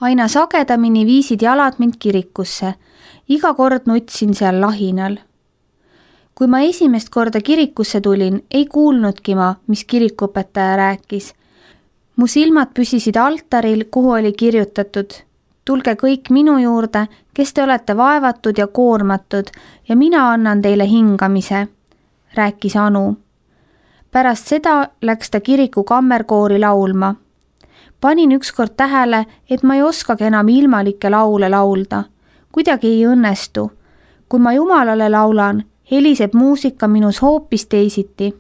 Aina sagedamini viisid jalad mind kirikusse. Iga kord nutsin seal lahinal. Kui ma esimest korda kirikusse tulin, ei kuulnudki ma, mis kirikuõpetaja rääkis. Mu silmad püsisid altaril, kuhu oli kirjutatud: tulge kõik minu juurde, kes te olete vaevatud ja koormatud, ja mina annan teile hingamise, rääkis Anu. Pärast seda läks ta kiriku kammerkoori laulma. Panin ükskord tähele, et ma ei oskagi enam ilmalikke laule laulda. Kuidagi ei õnnestu. Kui ma Jumalale laulan, heliseb muusika minus hoopis teisiti,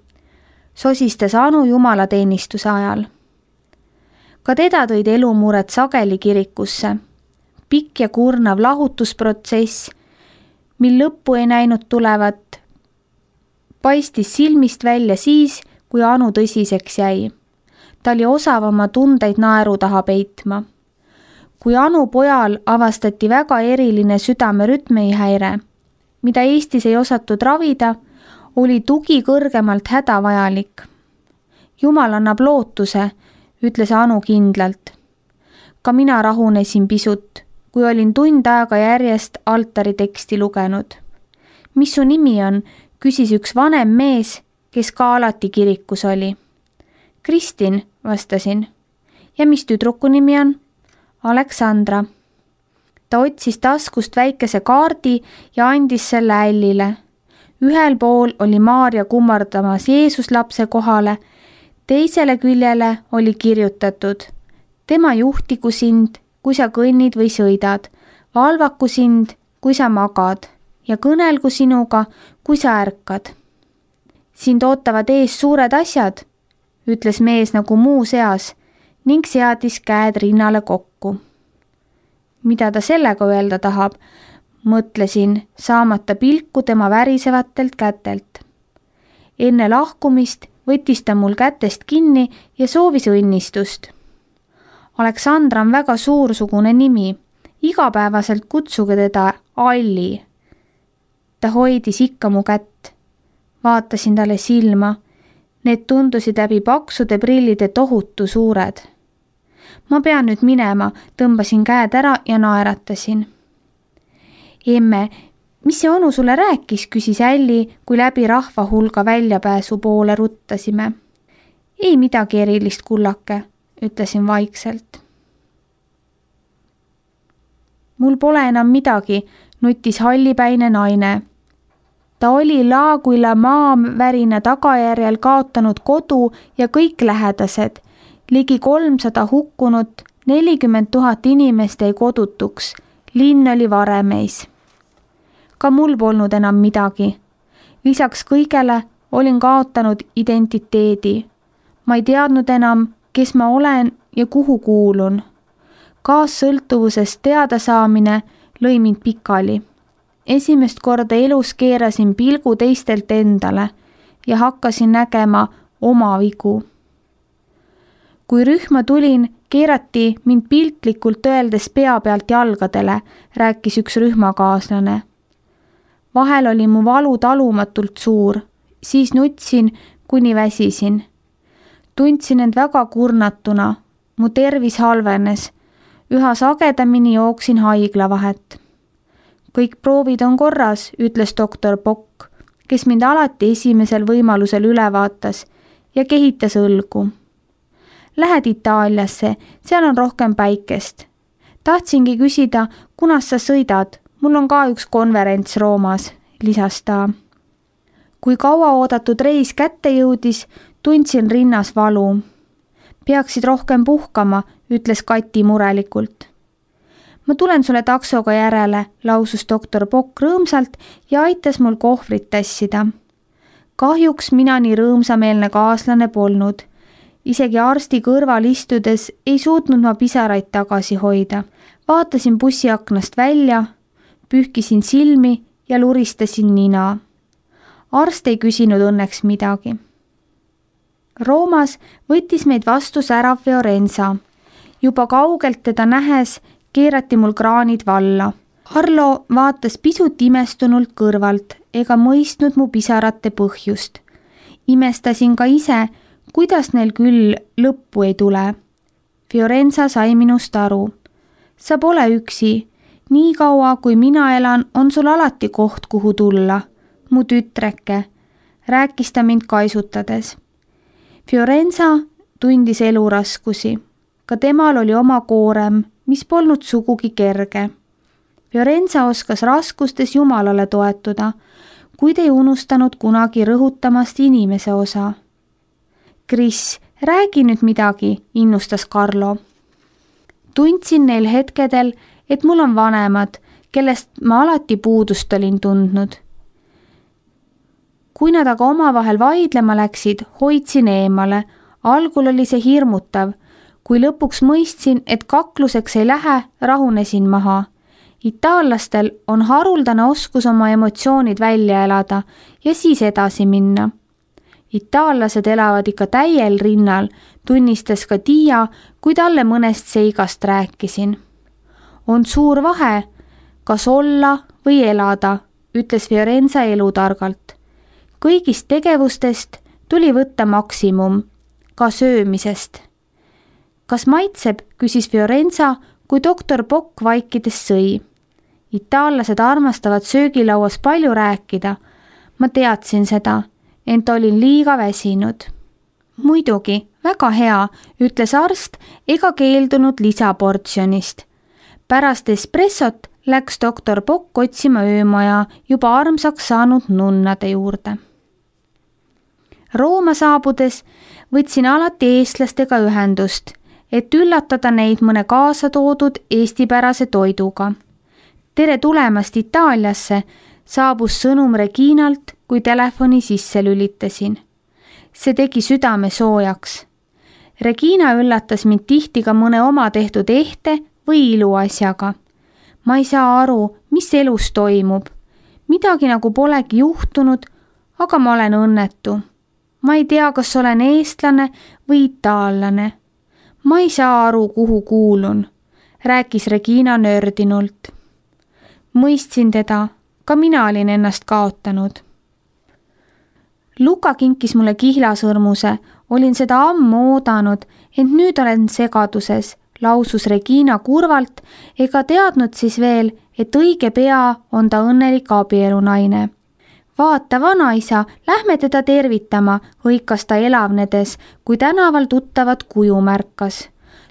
sosistas Anu jumalateenistuse ajal. Ka teda tõid elumured sageli kirikusse. Pikk ja kurnav lahutusprotsess, mil lõppu ei näinud tulevat, paistis silmist välja siis, kui Anu tõsiseks jäi. Ta oli osav oma tundeid naeru taha peitma. Kui Anu pojal avastati väga eriline südamerütmihäire, mida Eestis ei osatud ravida, oli tugi kõrgemalt hädavajalik. Jumal annab lootuse, ütles Anu kindlalt. Ka mina rahunesin pisut, kui olin tund aega järjest altari teksti lugenud. Mis su nimi on, küsis üks vanem mees, kes ka alati kirikus oli. Kristin, vastasin. Ja mis tüdruku nimi on? Aleksandra. Ta otsis taskust väikese kaardi ja andis selle Ällile. Ühel pool oli Maarja kummardamas Jeesuslapse kohale, teisele küljele oli kirjutatud: tema juhtigu sind, kui sa kõnnid või sõidad, valvaku sind, kui sa magad, ja kõnelgu sinuga, kui sa ärkad. Sind ootavad ees suured asjad, ütles mees nagu muu seas ning seadis käed rinnale kokku. Mida ta sellega öelda tahab, mõtlesin, saamata pilku tema värisevatelt kätelt. Enne lahkumist võttis ta mul kätest kinni ja soovis õnnistust. Aleksandra on väga suursugune nimi, igapäevaselt kutsuge teda Alli. Ta hoidis ikka mu kätt. Vaatasin talle silma. Need tundusid läbi paksude prillide tohutu suured. Ma pean nüüd minema, tõmbasin käed ära ja naeratasin. Emme, mis see onu sulle rääkis, küsis Älli, kui läbi rahva hulga väljapääsu poole ruttasime. Ei midagi erilist, kullake, ütlesin vaikselt. Mul pole enam midagi, nutis hallipäine naine. Ta oli Laaguila maavärina tagajärjel kaotanud kodu ja kõik lähedased. Ligi 300 hukkunut, 40 000 inimest jäi kodutuks. Linn oli varemeis. Ka mul polnud enam midagi. Lisaks kõigele olin kaotanud identiteedi. Ma ei teadnud enam, kes ma olen ja kuhu kuulun. Kaassõltuvusest teada saamine lõi mind pikali. Esimest korda elus keerasin pilgu teistelt endale ja hakkasin nägema oma vigu. Kui rühma tulin, keerati mind piltlikult öeldes pea pealt jalgadele, rääkis üks rühmakaaslane. Vahel oli mu valu talumatult suur, siis nutsin, kuni väsisin. Tundsin end väga kurnatuna, mu tervis halvenes, üha sagedamini jooksin haiglavahet. Kõik proovid on korras, ütles doktor Pokk, kes mind alati esimesel võimalusel üle vaatas ja kehitas õlgu. Lähed Itaaliasse, seal on rohkem päikest. Tahtsingi küsida, kunas sa sõidad, mul on ka üks konverents Roomas, lisas ta. Kui kaua oodatud reis kätte jõudis, tundsin rinnas valu. Peaksid rohkem puhkama, ütles Kati murelikult. Ma tulen sulle taksoga järele, lausus doktor Pokk rõõmsalt ja aitas mul kohvrit tassida. Kahjuks mina nii rõõmsameelne kaaslane polnud. Isegi arsti kõrval istudes ei suutnud ma pisaraid tagasi hoida. Vaatasin bussiaknast välja, pühkisin silmi ja luristasin nina. Arst ei küsinud õnneks midagi. Roomas võttis meid vastu särav Fiorenza. Juba kaugelt teda nähes keerati mul kraanid valla. Arlo vaatas pisut imestunult kõrvalt ega mõistnud mu pisarate põhjust. Imestasin ka ise, kuidas neil küll lõppu ei tule. Fiorenza sai minust aru. sa pole üksi. Nii kaua, kui mina elan, on sul alati koht, kuhu tulla. Mu tütreke, rääkis ta mind kaisutades. Fiorenza tundis eluraskusi. Ka temal oli oma koorem, mis polnud sugugi kerge. Fiorenza oskas raskustes Jumalale toetuda, kuid ei unustanud kunagi rõhutamast inimese osa. Kris, räägi nüüd midagi, innustas Carlo. Tundsin neil hetkedel, et mul on vanemad, kellest ma alati puudust olin tundnud. Kui nad aga omavahel vaidlema läksid, hoidsin eemale. Algul oli see hirmutav. Kui lõpuks mõistsin, et kakluseks ei lähe, rahunesin maha. Itaallastel on haruldane oskus oma emotsioonid välja elada ja siis edasi minna. Itaallased elavad ikka täiel rinnal, tunnistas ka Tiia, kui talle mõnest seigast rääkisin. On suur vahe, kas olla või elada, ütles Fiorenza elutargalt. Kõigist tegevustest tuli võtta maksimum, ka söömisest. Kas maitseb, küsis Fiorenza, kui doktor Bock vaikides sõi. Itaallased armastavad söögilauas palju rääkida. Ma teadsin seda, ent olin liiga väsinud. Muidugi, väga hea, ütles arst ega keeldunud lisaportsjonist. Pärast espressot läks doktor Bock otsima öömaja juba armsaks saanud nunnade juurde. Rooma saabudes võtsin alati eestlastega ühendust, et üllatada neid mõne kaasa toodud eestipärase toiduga. Tere tulemast Itaaliasse, saabus sõnum Reginalt, kui telefoni sisse lülitasin. See tegi südame soojaks. Regina üllatas mind tihti ka mõne oma tehtud ehte või iluasjaga. Ma ei saa aru, mis elus toimub. Midagi nagu polegi juhtunud, aga ma olen õnnetu. Ma ei tea, kas olen eestlane või itaallane. Ma ei saa aru, kuhu kuulun, rääkis Regina nördinult. Mõistsin teda, ka mina olin ennast kaotanud. Luka kinkis mulle kihlasõrmuse, olin seda ammu oodanud, ent nüüd olen segaduses, lausus Regina kurvalt, ega teadnud siis veel, et õige pea on ta õnnelik abielunaine. Vaata, vanaisa, lähme teda tervitama, hõikas ta elavnedes, kui tänaval tuttavat kuju märkas.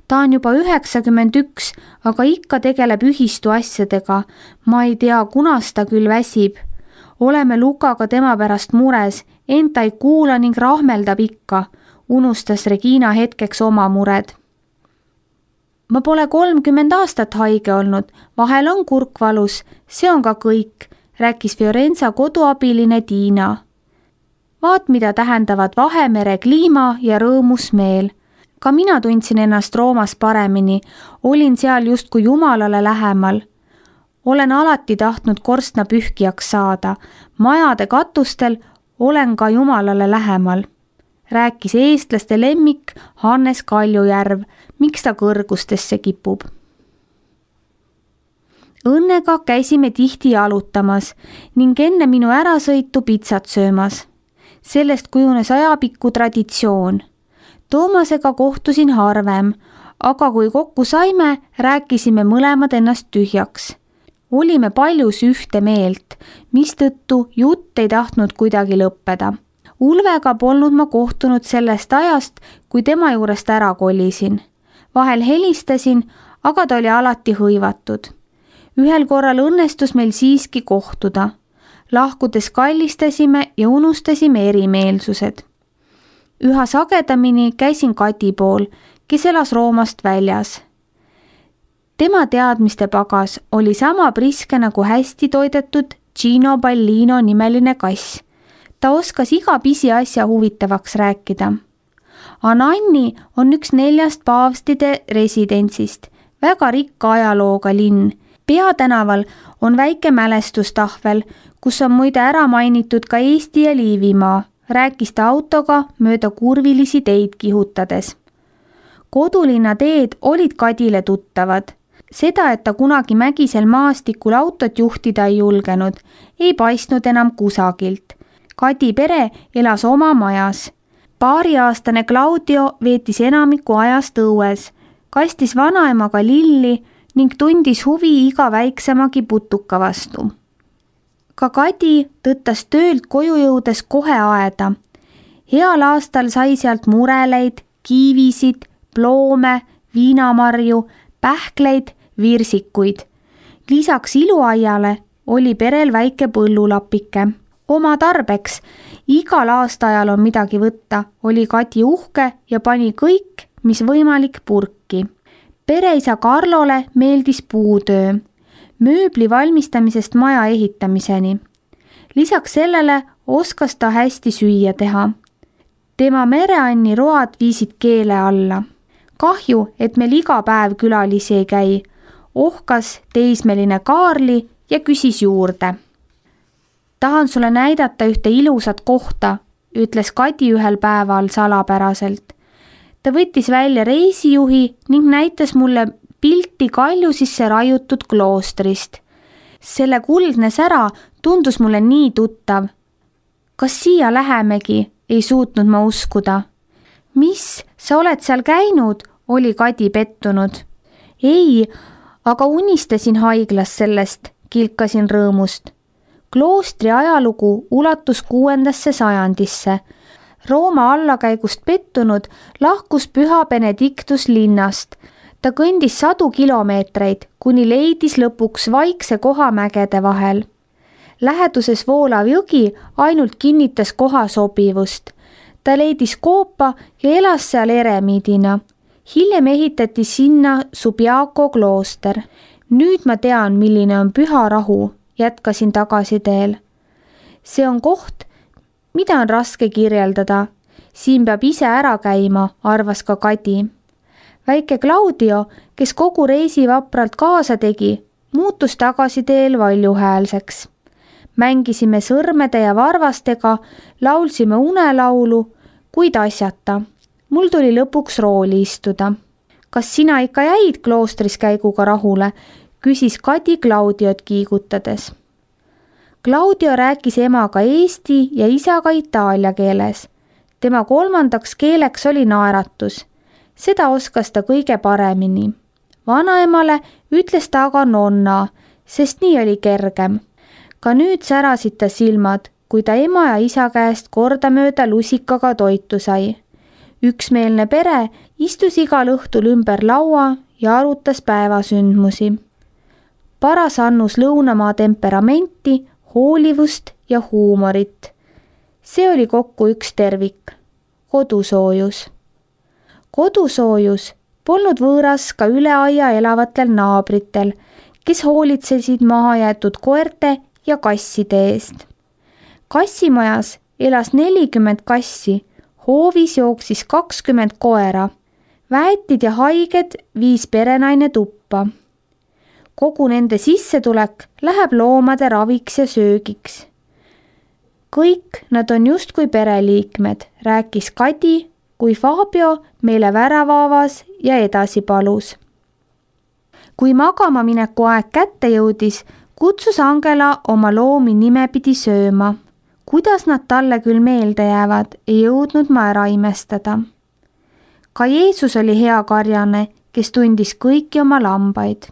Ta on juba 91, aga ikka tegeleb ühistu asjadega. Ma ei tea, kunas ta küll väsib. Oleme Lukaga tema pärast mures, ent ta ei kuula ning rahmeldab ikka, unustas Regina hetkeks oma mured. Ma pole 30 aastat haige olnud, vahel on kurk valus, see on ka kõik, rääkis Fiorenza koduabiline Tiina. Vaat, mida tähendavad Vahemere kliima ja rõõmus meel. Ka mina tundsin ennast Roomas paremini, olin seal justkui Jumalale lähemal. Olen alati tahtnud korstnapühkijaks saada, majade katustel olen ka Jumalale lähemal. Rääkis eestlaste lemmik Hannes Kaljujärv, miks ta kõrgustesse kipub. Õnnega käisime tihti jalutamas ning enne minu ärasõitu pitsat söömas. Sellest kujunes ajapikku traditsioon. Toomasega kohtusin harvem, aga kui kokku saime, rääkisime mõlemad ennast tühjaks. Olime paljus ühte meelt, mistõttu jutt ei tahtnud kuidagi lõppeda. Ulvega polnud ma kohtunud sellest ajast, kui tema juurest ära kolisin. Vahel helistasin, aga ta oli alati hõivatud. Ühel korral õnnestus meil siiski kohtuda. Lahkudes kallistasime ja unustasime erimeelsused. Üha sagedamini käisin Kati pool, kes elas Roomast väljas. Tema teadmiste pagas oli sama priske nagu hästi toidetud Gino Ballino nimeline kass. Ta oskas iga pisiasja huvitavaks rääkida. Ananni on üks 4 paavstide residentsist, väga rikka ajalooga linn. Peatänaval on väike mälestustahvel, kus on muide ära mainitud ka Eesti ja Liivimaa, rääkis ta autoga mööda kurvilisi teid kihutades. Kodulinna teed olid Kadile tuttavad. Seda, et ta kunagi mägisel maastikul autot juhtida ei julgenud, ei paistnud enam kusagilt. Kadi pere elas oma majas. 2-aastane Claudio veetis enamiku ajast õues, kastis vanaemaga lilli, ning tundis huvi iga väiksemagi putuka vastu. Ka Kadi tõttas töölt koju jõudes kohe aeda. Heal aastal sai sealt mureleid, kiivisid, ploome, viinamarju, pähkleid, virsikuid. Lisaks iluaiale oli perel väike põllulapike. Oma tarbeks, igal aastaajal on midagi võtta, oli Kadi uhke ja pani kõik, mis võimalik purki. Pereisa Karlole meeldis puutöö, mööbli valmistamisest maja ehitamiseni. Lisaks sellele oskas ta hästi süüa teha. Tema mereanni road viisid keele alla. Kahju, et meil iga päev külalisi ei käi. Ohkas teismeline Kaarli ja küsis juurde. Tahan sulle näidata ühte ilusat kohta, ütles Kadi ühel päeval salapäraselt. Ta võttis välja reisijuhi ning näitas mulle pilti kalju sisse raiutud kloostrist. Selle kuldne sära tundus mulle nii tuttav. Kas siia lähemegi, ei suutnud ma uskuda. Mis, sa oled seal käinud, oli Kadi pettunud. Ei, aga unistasin haiglas sellest, kilkasin rõõmust. Kloostri ajalugu ulatus 6. sajandisse. Rooma allakäigust pettunud lahkus püha Benedictus linnast. Ta kõndis 100 kilomeetreid, kuni leidis lõpuks vaikse koha mägede vahel. Läheduses voolav jõgi ainult kinnitas koha sobivust. Ta leidis koopa ja elas seal eremiidina. Hiljem ehitati sinna Subiaco klooster. Nüüd ma tean, milline on püha rahu, jätkasin tagasiteel. See on koht, mida on raske kirjeldada. Siin peab ise ära käima, arvas ka Kadi. Väike Claudio, kes kogu reisi vapralt kaasa tegi, muutus tagasiteel valjuhäälseks. Mängisime sõrmede ja varvastega, laulsime unelaulu, kuid asjata. Mul tuli lõpuks rooli istuda. Kas sina ikka jäid kloostris käiguga rahule, küsis Kadi Claudiot kiigutades. Claudio rääkis emaga eesti ja isaga itaalia keeles. Tema 3. keeleks oli naeratus. Seda oskas ta kõige paremini. Vanaemale ütles ta aga nonna, sest nii oli kergem. Ka nüüd särasid ta silmad, kui ta ema ja isa käest kordamööda lusikaga toitu sai. Üksmeelne pere istus igal õhtul ümber laua ja arutas päevasündmusi. Paras annus lõunamaa temperamenti, hoolivust ja huumorit. See oli kokku üks tervik. Kodusoojus. Kodusoojus polnud võõras ka üle aia elavatel naabritel, kes hoolitsesid mahajäetud koerte ja kasside eest. Kassimajas elas 40 kassi, hoovis jooksis 20 koera, väetid ja haiged viis perenaine tuppa. Kogu nende sissetulek läheb loomade raviks ja söögiks. Kõik nad on justkui pereliikmed, rääkis Kadi, kui Fabio meile värava avas ja edasi palus. Kui magama mineku aeg kätte jõudis, kutsus Angela oma loomi nimepidi sööma. Kuidas nad talle küll meelde jäävad, ei jõudnud ma ära imestada. Ka Jeesus oli hea karjane, kes tundis kõiki oma lambaid.